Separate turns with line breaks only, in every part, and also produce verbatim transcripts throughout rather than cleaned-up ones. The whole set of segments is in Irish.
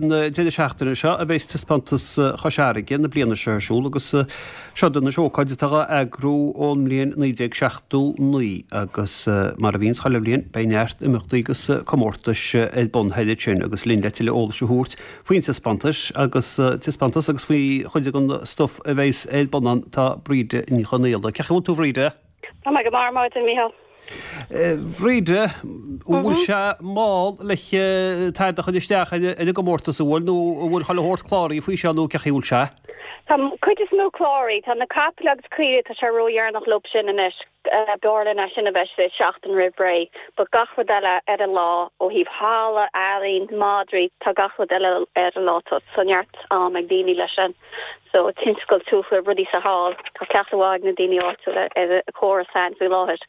na deireadh seachtaine seo a bheas Taispeántas Chois Fharraige na bliana seo ar siúl agus seo den ócáid atá á eagrú ón mbliain naoi déag seachtó naoi agus mar a bhíonns chuile bhliain beidh neart imeachtaí agus comórtais ar bun thairis sin agus linn le tuilleadh eolais a thabhairt faoin taispeántas agus taispeántas agus faoi chuid den stuif a bheas ar bun ann tá Bríde Ní Chonaola. Cén chaoi a bhfuil tú a Bhríde?
Tá mé go maith ar maidin, Mícheál.
Bhríde, an bhfuil sé mall le tada a chur isteach ar an gcomórtas an bhfuil nó an bhfuil chuile shórt cláraithe faoi seo nó cén chaoi a bhfuil sé?
Tá cuid is mó cláraithe, tá na capaill agus caoirigh, tá sé ródheireanach leo sin anois, b'fhearr linn é sin a bheith sé seachtain roimh ré, but gach rud eile ar an lá, ó thaobh halla, ealaín, madraí, tá gach rud eile ar an lá, tá so neart am ag daoine leis sin. So tionscal tuaithe, rudaí sa hall, tá cleachtadh mhaith ag na daoine áitiúla ar an chóras féin faoi láthair.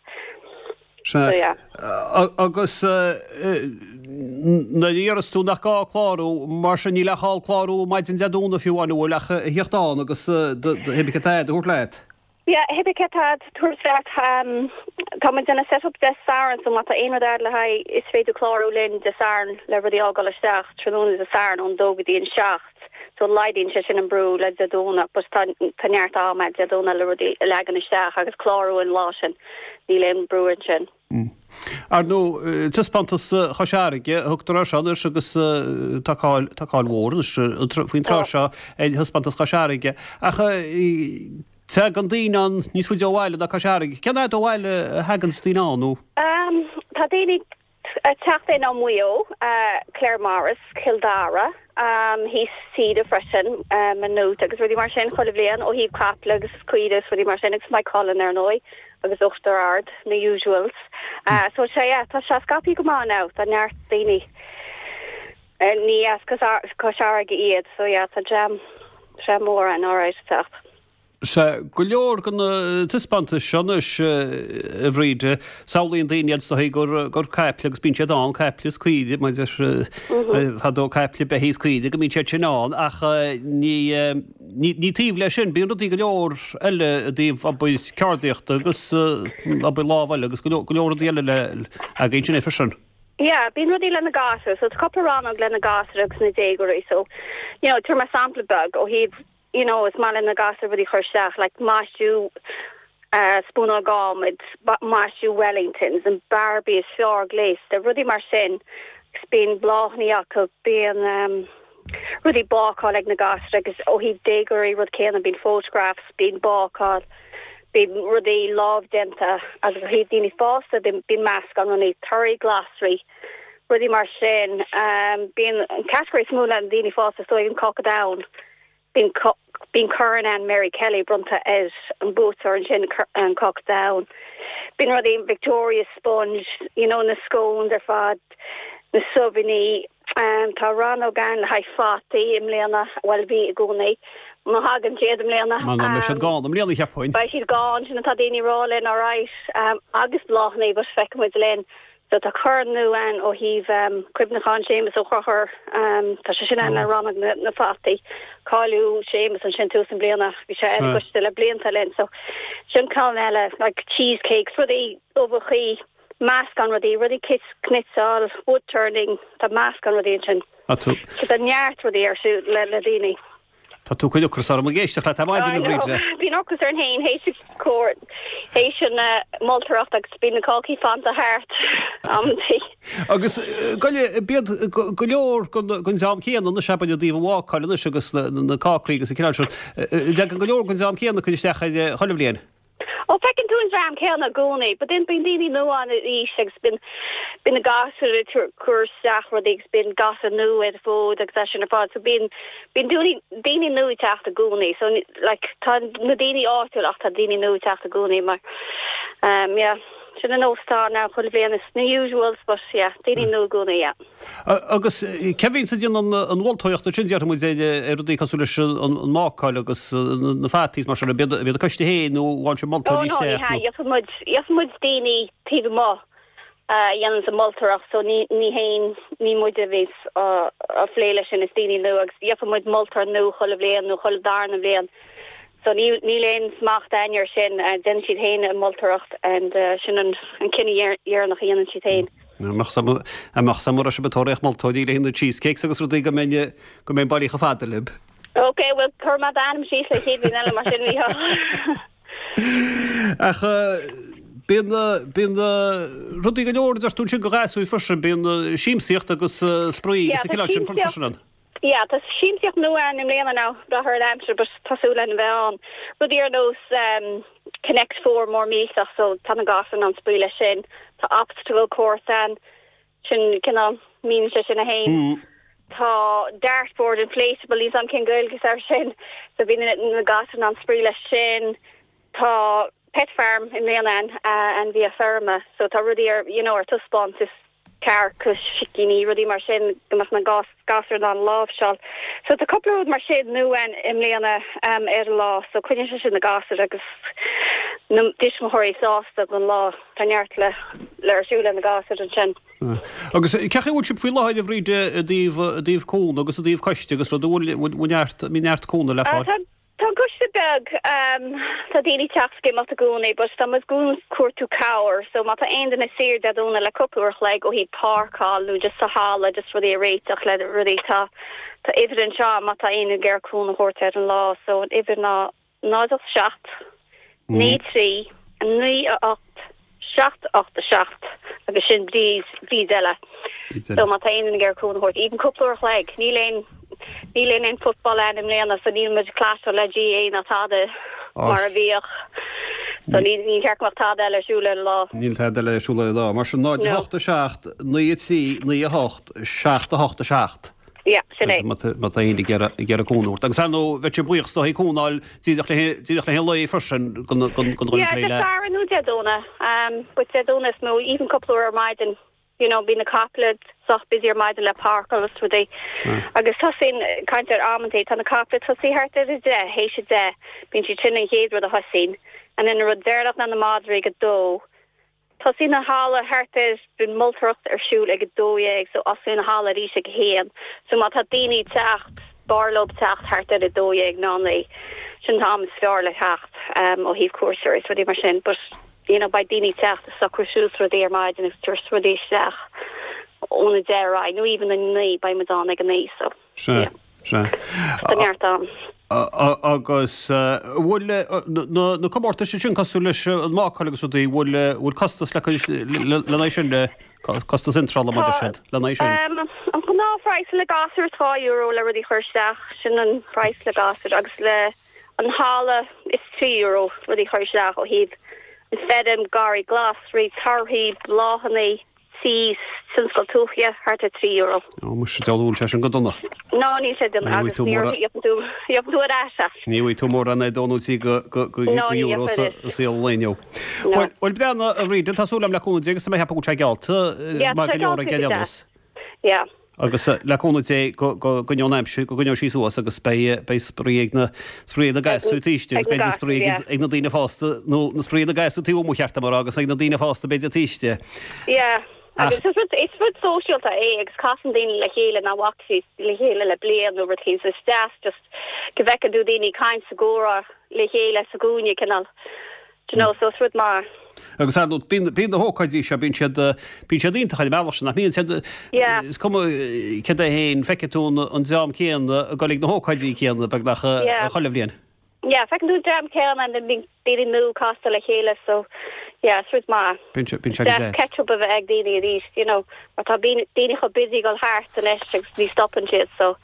Sea. Agus nuair a deireas tú nach gá clárú, mar sin níl ach dhul clárú maidin Dé Domhnaigh fiú amháin an bhfuil ach a thíocht ann agus pé ar bith cad tá a'd a thabhairt leat.
Yeah, pé ar bith cad tá a'd a thabhairt leat. Tá muid ag déanamh set up Dé Sathairn so má tá aon rud a'd le haghaidh is féidir clárú linn Dé Sathairn le rudaí a fhágáil isteach tráthnóna Dé Sathairn ón dó go dtí an seacht. So laghdaíonn sé sin an brú le Dé Domhnaigh but tá tá neart am a'd Dé Domhnaigh le rudaí a leagan isteach agus clárú an lá sin. Níl aon brú ansin.
Ar ndóigh, taispeántas Chois Fharraige a thugtar air seo anois agus tá cáil tá cáil mhór anois faoin tráth seo ar thaispeántas Chois Fharraige. Ach tagann daoine ann níos faide ó bhaile ná Cois Fharraige. Cén fhad ó bhaile a thaganns daoine ann nó?
Tá daoine ag teacht in ó Mhaigh Eo, Claremorris, Cill Dara, thíos tíre freisin, Maynooth agus rudaí mar sin chuile bhliain ó thaobh caiple agus caoire is rudaí mar sin agus Maigh Cuilinn ar ndóigh agus Uachtar Ard, na usuals. So sé yeah, tá sé scaipthe go maith now, tá neart daoine ní as Cois Fharraige iad so yeah, tá dream dream mór ann alright ag teacht.
Sea, go leor de na taispeántais seo anois, a Bhríde, samhlaíonn daoine iad is dóigh gur gur caiple agus bíonn siad ann, caiple is caoire, mar fadó caiple, beithígh is caoire, go mbíonn siad sin ann ach ní ní taobh leis sin, bíonn rudaí go leor eile i dtaobh obair ceardaíochta agus obair lámh eile agus go leor go leor rudaí eile le againn sin é freisin.
Yeah, bíonn rudaí le na gasúir, so tá cúpla rannóg le na gasúir agus na déagóirí, so you know, tabharfaidh mé sampla beag ó thaobh you know, is maith le na gasúir rudaí a chur isteach, like maisiú uh, spúnóg adhmaid, maisiú Wellingtons, an Barbie is fearr gléasta, rudaí mar sin, agus bíonn bláthanna acu, bíonn um, rudaí bácáil ag na gasúir agus ó thaobh déagóirí rud céanna, bíonn photographs, bíonn bácáil, bíonn rudaí lámhdéanta agus ó thaobh daoine fásta bíonn meascán rudaí torthaí glasraí, rudaí mar sin. Um, bíonn an category is mó le daoine fásta is dóigh an cáca donn. Bíonn bíonn Corn Anne Mary Kelly bronnta ar an buaiteoir ansin an cáca donn. Bíonn rudaí Victoria sponge, you know, na scones ar fad, na subhannaí. Um, tá rannóg ann le haghaidh fataí i mbliana, bhuel bhí i gcónaí. Má thagann siad i mbliana.
Má beidh siad gann i mbliana cheapfainn.
Beidh siad gann, sin atá daoine ag rá linn, alright, um, agus bláthanna, but feicfidh muid linn. So tá corn nua ann ó thaobh cuimhneachán Séamus Ó Conchúir, tá sé sin ann le rannóg na fataí. Cailleadh Séamus ansin tús na bliana, bhí sé ar an gcoiste le blianta linn. So sin ceann eile, like cheesecakes, rudaí uibheachaí, meascán rudaí, rudaí cniotáil, wood turning, tá meascán rudaí ansin. So tá neart rudaí ar siúl le le daoine.
Tá tú ag cur ocras orm ag éisteacht leat ar maidin, a Bhríde.
Bíonn ocras orainn féin théis cóir, théis an moltóireacht agus bíonn na cácaí fanta thart amantaí.
Agus bíonn go leor den dream céanna anois abair i dtaobh an bhácáil anois agus na cácaí agus an cineál sin. Tagann go leor den dream céanna ag cur isteach air chuile bhliain.
Ó, feiceann tú an dream céanna i gcónaí, but then bíonn daoine nua ann arís agus bíonn bíonn na gasúir ag cur isteach rudaí agus bíonn gasúir nua ar an bhfód agus é sin ar fad so bíonn bíonn daoine daoine nua ag teacht i gcónaí so like tá na daoine áitiúil ach tá daoine nua ag teacht i gcónaí mar um yeah sin an nós atá ann chuile bhliain is na usuals but yeah daoine nua i gcónaí yeah.
Agus cé bhíonns ag déanamh an mholtóireacht ansin, déarfaidh muid, ar rudaí cosúil leis an mbácáil agus na fataí is mar sin, ab iad an coiste féin nó an bhfaigheann sibh moltóirí
isteach? Ó no, ní hea, gheobhaidh muid, gheobhaidh muid daoine taobh amuigh a dhéananns an moltóireacht so ní, ní haon, ní muide a bhíos á phlé leis sin, is daoine nua agus gheobhaidh muid moltóir nua chuile bhliain nó chuile darna bhliain so ní, níl aon smacht againn air sin, déanann siad féin an moltóireacht and sin an cinneadh dheireanach a dhéanann siad féin.
Mbeadh sam mura sibh ag tóraíocht moltóirí le haghaidh na cheesecakes agus rudaí go mbeinn go mbeinn bailí chomh fada libh.
Ok, well cuir mé d'ainm síos le chéad bhliain eile mar sin Mícheál.
Ach bíonn bíonn rudaí go leor deir tú ansin do ghasúir freisin, bíonn siamsaíocht agus spraoi
Yeah,
agus an cineál sin freisin ann.
Yeah, tá siamsaíocht nua ann i mbliana now brath ar an aimsir but tá súil againn a bheith ann. Rudaí ar nós um, Connect Four mór millteach so tá na gasúir in ann spraoi leis sin. Tá obstacle course ann sin cineál mín sé sin a haon.
Mm.
Tá dartboard inflatable níl an cén Gaeilge ar sin so bíonn na gasúir in ann spraoi leis sin. Tá pet farm i mbliana ann uh, ainmhithe feirme so tá rudaí ar you know ar taispeáint is cearca agus sicíní rudaí mar sin go mbeadh na gas gasúir in ann láimhseáil. So tá cúpla rud mar sin nua ann i mbliana um, ar an lá so coinníonn sé sin na gasúir agus na tuismitheoirí sásta don lá tá neart le le ar siúl na gasúir ansin.
Agus cén chaoi a bhfuil sibh faoi láthair a Bhríde i dtaobh i dtaobh cúnamh agus i dtaobh coiste agus rud bhfuil neart mí neart cúnamh le
Uh,
fáil.
tá Tá coiste beag um, tá daoine teacht is ag imeacht i gcónaí, but tá muid ag cuartú cabhair, so má tá aon duine saor Dé Domhnaigh le cúpla uair a chloig ó thaobh páirceáil nó just sa halla just rudaí a réiteach le rudaí tá tá uimhir anseo má tá aon ag iarraidh cúnamh a thabhairt ar an lá, so an uimhir ná náid seacht naoi trí naoi a ocht seacht ocht a seacht agus sin Bríd Bríd eile. So má tá aon ag iarraidh cúnamh a thabhairt even cúpla uair a chloig níl aon níl aon aon football ann i mbliana so níl muid clash le GAA ná tada mar a bhíodh. So ní ní ceart go mbeadh tada eile ar siúl ar an lá.
Níl tada eile ar siúl ar an lá, mar sin náid
No.
hocht a seacht naoi trí naoi a hocht seacht a hocht a seacht.
Ja, sin é.
Má tá aon ag iarraidh cúnamh. Agus ar ndóigh bheadh sé buíoch dá cúnáil díreach le díreach le haon lae freisin gon gon gon
Yeah,
le.
Satharn nó Dé Domhnaigh. Um, but Dé Domhnaigh is mó even cúpla uair ar maidin. You know, bíonn na caiple sách busy ar maidin le páirceáil agus rudaí. Agus tosaíonn caint ar amantaí tá na caiple tosaí thart ar a deich théis a deich bíonn siad sin an chéad rud a thosaíonn. And then rud deireanach ná na madraí ag a dó. Tosaíonn na halla thart ar bíonn moltóireacht ar siúl ag a dó dhéag so osclaíonn na halla arís ag a haon. So má tá daoine teacht b'fhearr leo teacht thart ar a dó dhéag ná naoi. Sin t-am is fearr le teacht um, ó thaobh cuairteoirí is rudaí mar sin, but you know, beidh daoine teacht is socrú suas rudaí ar maidin agus tabhairt rudaí isteach óna deich nó even a naoi beidh muid ann ag a naoi so
Se se.
Tá neart ann.
Agus bhfuil na comórtais sin cosúil leis an mbácáil agus rudaí bhfuil bhfuil costas le lena sin le costas iontrála mar sin lena sin.
Um, an gnáthphraghas le gasúir dhá euro le rudaí chur isteach sin an praghas le gasúir agus le an halla is trí euro rudaí chur isteach ó thaobh an feirm garraí glasraí torthaí bláthanna sí tionscal tuaithe thart ar trí euro.
Ó mu deúil sé sin go dona.
No ní sé den
Ní
agus
tú mór-
tú ar ais.
Ní bhfuil tú mór an é dónú go go go
No, ní
euro
dhéanfar
saol léo.
No.
Well breana a Bhríd tá súil agam le cúnamh Dé agus mé hepa sé gealta
Yeah,
mar
tá
go leor
geallta
ag
go
deas.
Yeah.
Agus eh, le cúnamh Dé go go go an aimsir go gcoinneoidh sí suas agus beidh beidh spraoi ag na spraoi na gasúir taobh
ag na
b'fhéidir spraoi
gasúir,
ag na daoine fásta nó na spraoi na gasúir taobh amuigh cheart mar agus ag na daoine fásta b'fhéidir taobh istigh.
Yeah. Agus is rud is rud sóisialta é agus casann daoine le chéile nach bhfaca siad le chéile le bliain nó rud éigin so is deas just go bhfeiceann tú daoine caint sa gcomhrá le chéile sa gcúinne cineál. Do you know, so is rud maith.
Agus ar bíonn bíonn na hócáidí seo bíonn siad eh, bíonn siad iontach ar bealach sin nach mbíonn siad
Yeah.
is cuma eh, cad é féin feiceann tú an an dream céanna ag dul ag na hócáidí céanna beagnach eh,
Yeah.
chuile bhliain.
Yeah, feiceann tú dream céanna and then bíonn daoine nua casta le chéile so yeah, is rud maith.
Bíonn sé bíonn sé
Deas
deas.
catch up a bheith ag daoine arís, you know, mar tá daoine daoine chomh busy gul thart anois agus ní stopann siad so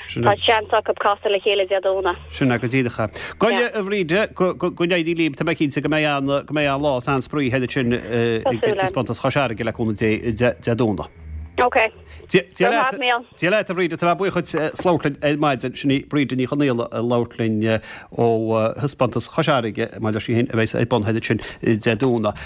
Sin
tá seans acu casadh le chéile Dé Domhnaigh.
Sin go díreach. Goile a Bhríde go n-éirí libh tá mé cinnte go mbeidh an go mbeidh an lá is an-spraoi thall ansin ag
súil
taispeántas Chois Fharraige le cúnamh Dé Dé Domhnaigh.
Okay.
Dia
maith, Mícheál.
Dia leat a Bhríde tá buíoch as labhairt linn ar maidin sin í Bríde Ní Chonaola ag labhairt linn ó thaispeántas Chois Fharraige mar sin a bheidh ar bun thall ansin Dé Domhnaigh.